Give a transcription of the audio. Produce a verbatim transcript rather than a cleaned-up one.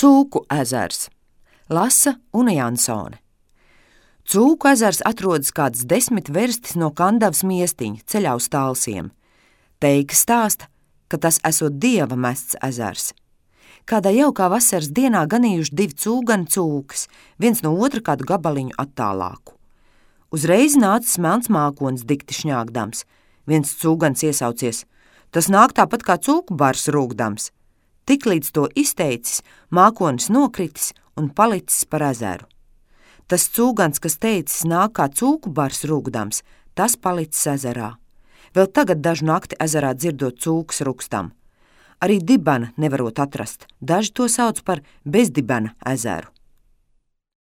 Cūku ezers. Lasa Una Jansone. Cūku ezers atrodas kāds desmit verstis no Kandavas miestiņa ceļā uz Talsiem. Teika stāsta, ka tas esot dieva mests ezers. Kādā jaukā vasaras dienā ganījuši divi cūgani cūkas, viens no otra kādu gabaliņu attālāku. Uzreiz nācis melns mākonis dikti šņāgdams. Viens cūgans iesaucies: tas nāk tāpat kā cūku bars rūgdams. Tiklīdz to izteicis, mākonis nokritis un palicis par ezeru. Tas cūgans, kas teicis nāk kā cūku bars rūgdams, tas palicis ezerā. Vēl tagad dažu nakti ezerā dzirdot cūkas rukstam. Arī dibena nevarot atrast, daži to sauc par bezdibena ezeru.